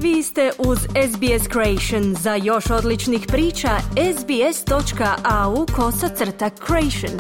Vi ste uz SBS Creation. Za još odličnih priča, sbs.au/creation.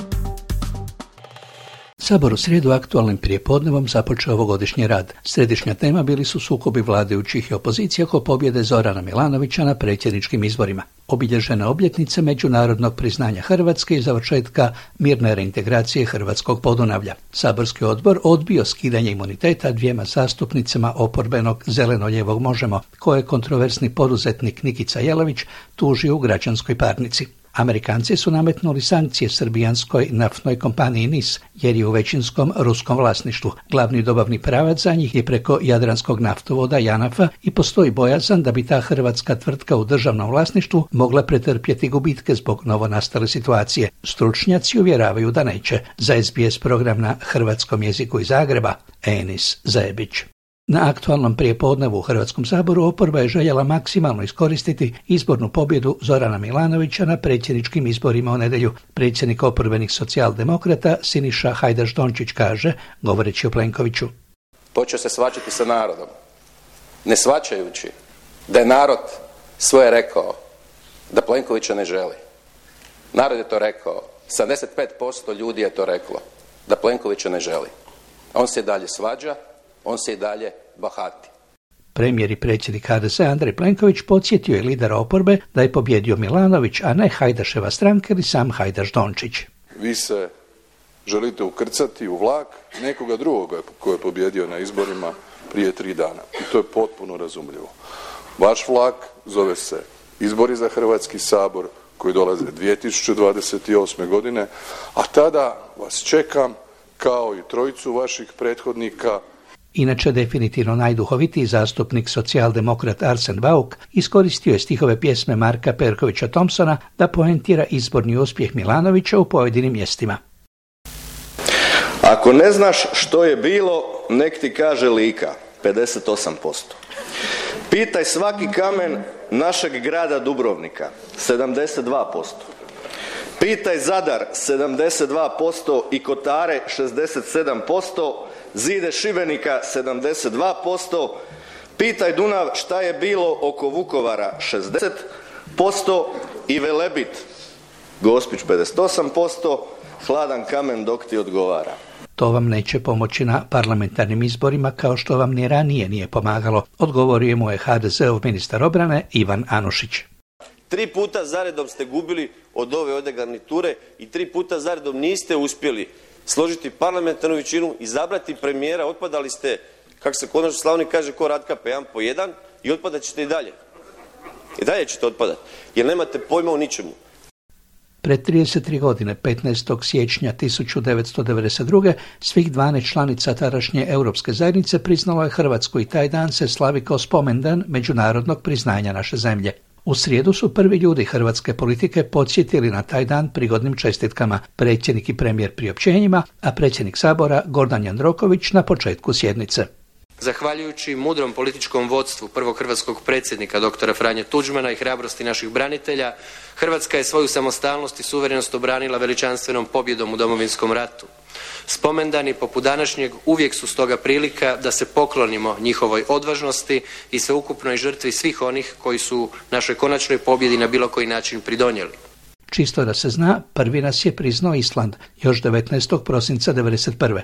Sabor u srijedu aktualnim prijepodnevom započeo ovogodišnji rad. Središnja tema bili su sukobi vladajućih i opozicije oko pobjede Zorana Milanovića na predsjedničkim izborima, obilježene obljetnice međunarodnog priznanja Hrvatske i završetka mirne reintegracije hrvatskog Podunavlja. Saborski odbor odbio skidanje imuniteta dvijema zastupnicama oporbenog zeleno-lijevog Možemo, koje je kontroversni poduzetnik Nikica Jelavić tužio u građanskoj parnici. Amerikanci su nametnuli sankcije srbijanskoj naftnoj kompaniji NIS, jer je u većinskom ruskom vlasništvu. Glavni dobavni pravac za njih je preko Jadranskog naftovoda JANAF-a i postoji bojazan da bi ta hrvatska tvrtka u državnom vlasništvu mogla pretrpjeti gubitke zbog novonastale situacije. Stručnjaci uvjeravaju da neće. Za SBS program na hrvatskom jeziku iz Zagreba, Enis Zajebić. Na aktualnom prijepodnevu u Hrvatskom saboru oporba je željela maksimalno iskoristiti izbornu pobjedu Zorana Milanovića na predsjedničkim izborima u nedjelju. Predsjednik oporbenih socijaldemokrata Siniša Hajdaš-Dončić kaže, govoreći o Plenkoviću: počeo se svađati sa narodom, ne shvaćajući da je narod svoje rekao, da Plenkovića ne želi. Narod je to rekao, 75% ljudi je to reklo, da Plenkovića ne želi. On se i dalje svađa, on se i dalje bahati. Premijer i predsjednik HDZ Andrej Plenković podsjetio je lidera oporbe da je pobjedio Milanović, a ne Hajdaševa stranka ili sam Hajdaš-Dončić. Vi se želite ukrcati u vlak nekoga drugoga koji je pobjedio na izborima prije 3 dana. I to je potpuno razumljivo. Vaš vlak zove se izbori za Hrvatski sabor koji dolaze 2028. godine, a tada vas čekam kao i trojicu vaših prethodnika. Inače, definitivno najduhovitiji zastupnik socijaldemokrat Arsen Bauk iskoristio je stihove pjesme Marka Perkovića Thompsona da poentira izborni uspjeh Milanovića u pojedinim mjestima. Ako ne znaš što je bilo, nek ti kaže Lika, 58%. Pitaj svaki kamen našeg grada Dubrovnika, 72%. Pitaj Zadar, 72% i Kotare, 67%. Zide Šibenika 72%, pitaj Dunav šta je bilo oko Vukovara 60% i Velebit, Gospić 58%, hladan kamen dok ti odgovara. To vam neće pomoći na parlamentarnim izborima kao što vam ni ranije nije pomagalo, odgovorio mu je HDZ-ov ministar obrane Ivan Anušić. 3 puta zaredom ste gubili od ove garniture i 3 puta zaredom niste uspjeli složiti parlamentarnu većinu, izabrati premijera, otpadali ste, kako se kod nas u Slavoniji kaže, ko Ratkapa 1 po 1 i otpadat ćete i dalje. I dalje ćete otpadati, jer nemate pojma o ničemu. Pred 33 godine, 15. siječnja 1992. svih 12 članica tadašnje Europske zajednice priznalo je Hrvatsku i taj dan se slavi kao spomendan međunarodnog priznanja naše zemlje. U srijedu su prvi ljudi hrvatske politike podsjetili na taj dan prigodnim čestitkama, predsjednik i premijer priopćenjima, a predsjednik Sabora Gordan Jandroković na početku sjednice. Zahvaljujući mudrom političkom vodstvu prvog hrvatskog predsjednika dr. Franje Tuđmana i hrabrosti naših branitelja, Hrvatska je svoju samostalnost i suverenost obranila veličanstvenom pobjedom u Domovinskom ratu. Spomendani poput današnjeg uvijek su stoga prilika da se poklonimo njihovoj odvažnosti i sveukupnoj žrtvi svih onih koji su našoj konačnoj pobjedi na bilo koji način pridonijeli. Čisto da se zna, prvi nas je priznao Island, još 19. prosinca 1991.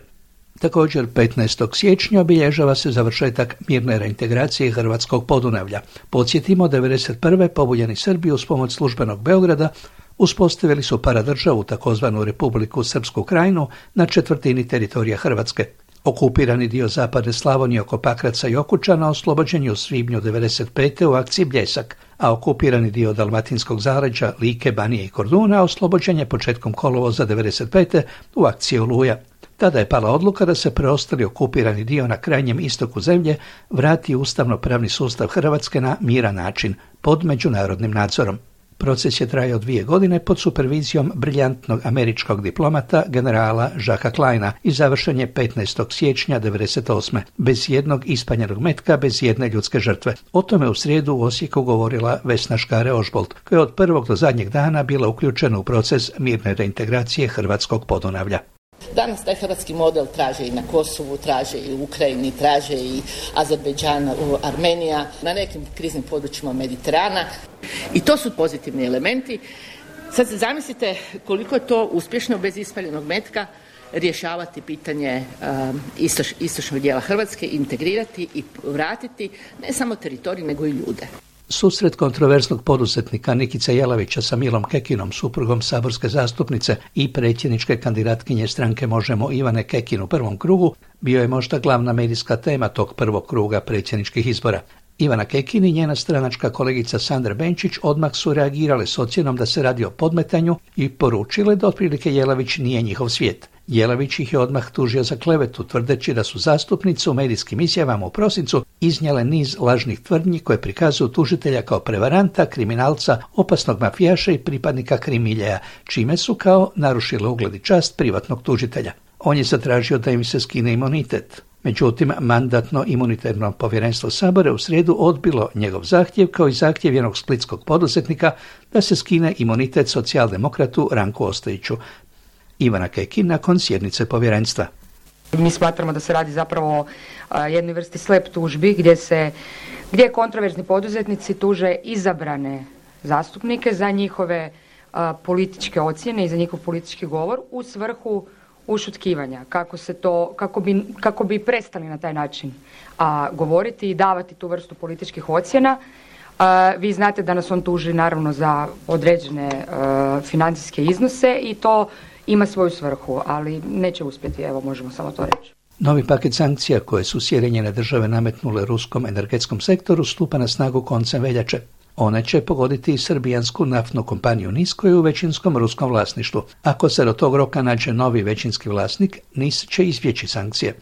Također 15. siječnja obilježava se završetak mirne reintegracije hrvatskog Podunavlja. Podsjetimo, 1991. pobuđeni Srbi uz pomoć službenog Beograda uspostavili su paradržavu, takozvanu Republiku Srpsku Krajinu, na četvrtini teritorija Hrvatske. Okupirani dio zapadne Slavonije oko Pakraca i Okučana oslobođen je u svibnju 1995. u akciji Bljesak, a okupirani dio dalmatinskog zaleđa, Like, Banije i Korduna oslobođen je početkom kolovoza 1995. u akciji Oluja. Tada je pala odluka da se preostali okupirani dio na krajnjem istoku zemlje vrati ustavno-pravni sustav Hrvatske na miran način, pod međunarodnim nadzorom. Proces je trajao 2 godine pod supervizijom briljantnog američkog diplomata generala Jacquesa Kleina i završen je 15. siječnja 1998. bez jednog ispaljenog metka, bez jedne ljudske žrtve. O tome u srijedu u Osijeku govorila Vesna Škare-Ožbolt, koja je od prvog do zadnjeg dana bila uključena u proces mirne reintegracije hrvatskog Podunavlja. Danas taj hrvatski model traže i na Kosovu, traže i u Ukrajini, traže i Azerbejdžan, Armenija, na nekim kriznim područjima Mediterana. I to su pozitivni elementi. Sad se zamislite koliko je to uspješno bez ispaljenog metka rješavati pitanje istočnog dijela Hrvatske, integrirati i vratiti ne samo teritorij nego i ljude. Susret kontroverznog poduzetnika Nikice Jelavića sa Milom Kekinom, suprugom saborske zastupnice i predsjedničke kandidatkinje stranke Možemo Ivane Kekin u prvom krugu, bio je možda glavna medijska tema tog prvog kruga predsjedničkih izbora. Ivana Kekin i njena stranačka kolegica Sandra Benčić odmah su reagirale s ocjenom da se radi o podmetanju i poručile da otprilike Jelavić nije njihov svijet. Jelavić ih je odmah tužio za klevetu, tvrdeći da su zastupnice u medijskim izjavama u prosincu iznijele niz lažnih tvrdnji koje prikazuju tužitelja kao prevaranta, kriminalca, opasnog mafijaša i pripadnika krimiljeja, čime su kao narušile ugled i čast privatnog tužitelja. On je zatražio da im se skine imunitet. Međutim, Mandatno-imunitetno povjerenstvo Sabora u srijedu odbilo njegov zahtjev kao i zahtjev jednog splitskog poduzetnika da se skine imunitet socijaldemokratu Ranku Ostojiću. Ivana Kekin nakon sjednice povjerenstva. Mi smatramo da se radi zapravo o jednoj vrsti slep tužbi gdje kontroverzni poduzetnici tuže izabrane zastupnike za njihove političke ocjene i za njihov politički govor u svrhu ušutkivanja, kako bi prestali na taj način govoriti i davati tu vrstu političkih ocjena. Vi znate da nas on tuži naravno za određene financijske iznose i to ima svoju svrhu, ali neće uspjeti, evo možemo samo to reći. Novi paket sankcija koje su Sjedinjene Države nametnule ruskom energetskom sektoru stupa na snagu koncem veljače. One će pogoditi i srbijansku naftnu kompaniju NIS koja je u većinskom ruskom vlasništvu. Ako se do tog roka nađe novi većinski vlasnik, NIS će izbjeći sankcije.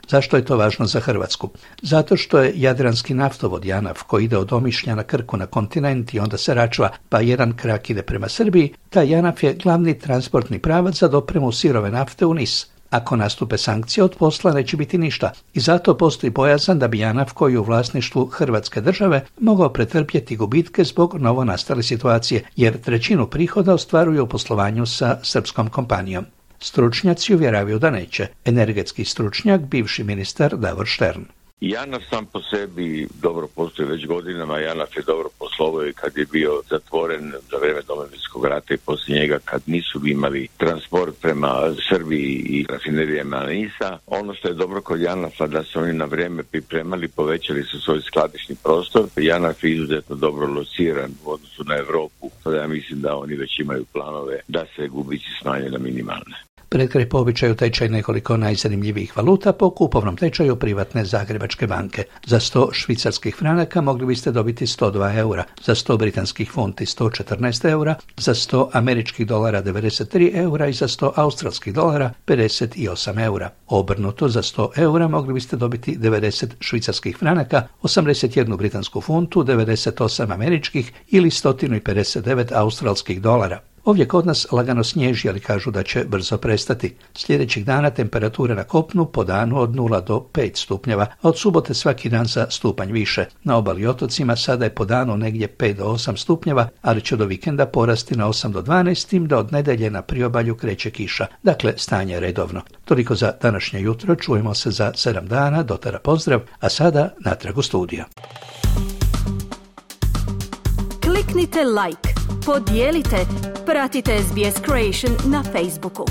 Zašto je to važno za Hrvatsku? Zato što je jadranski naftovod JANAF koji ide od Omišlja na Krku na kontinent i onda se račva pa jedan krak ide prema Srbiji, taj JANAF je glavni transportni pravac za dopremu sirove nafte u NIS. Ako nastupe sankcije, od posla neće biti ništa i zato postoji bojazan da bi JANAF koji je u vlasništvu Hrvatske države mogao pretrpjeti gubitke zbog novonastale situacije, jer trećinu prihoda ostvaruju u poslovanju sa srpskom kompanijom. Stručnjaci uvjeravaju da neće. Energetski stručnjak, bivši ministar Davor Štern. JANAF sam po sebi dobro postoji već godinama, JANAF je dobro poslovao i kad je bio zatvoren za vrijeme Domovinskog rata i poslije njega kad nisu imali transport prema Srbiji i rafinerijama NIS-a. Ono što je dobro kod JANAF-a da su oni na vrijeme pripremali, povećali su svoj skladišni prostor. JANAF je izuzetno dobro lociran u odnosu na Europu, pa ja mislim da oni već imaju planove da se gubici smanje na minimalne. Pred kraj po običaju tečaj nekoliko najzanimljivijih valuta po kupovnom tečaju privatne Zagrebačke banke. Za 100 švicarskih franaka mogli biste dobiti 102 eura, za 100 britanskih funti 114 eura, za 100 američkih dolara 93 eura i za 100 australskih dolara 58 eura. Obrnuto, za 100 eura mogli biste dobiti 90 švicarskih franaka, 81 britansku funtu, 98 američkih ili 159 australskih dolara. Ovdje kod nas lagano snježi, ali kažu da će brzo prestati. Sljedećih dana temperature na kopnu po danu od 0 do 5 stupnjeva, a od subote svaki dan za stupanj više. Na obali i otocima sada je po danu negdje 5 do 8 stupnjeva, ali će do vikenda porasti na 8 do 12, tim da od nedjelje na priobalju kreće kiša. Dakle, stanje je redovno. Toliko za današnje jutro, čujemo se za 7 dana, dotara pozdrav, a sada natrag u studiju. Kliknite like, podijelite, pratite SBS Creation na Facebooku.